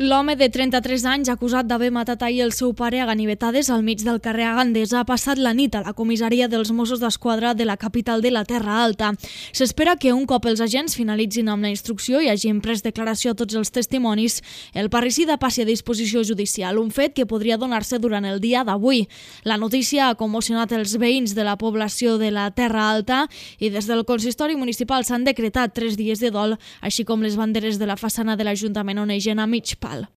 L'home de 33 anys, acusat d'haver matat ahir el seu pare a ganivetades al mig del carrer a Gandesa, ha passat la nit a la comissaria dels Mossos d'Esquadra de la capital de la Terra Alta. S'espera que un cop els agents finalitzin amb la instrucció i hagin pres declaració a tots els testimonis, el parricida passi a disposició judicial, un fet que podria donar-se durant el dia d'avui. La notícia ha commocionat els veïns de la població de la Terra Alta i des del consistori municipal s'han decretat 3 dies de dol, així com les banderes de la façana de l'Ajuntament onegen a mig pal.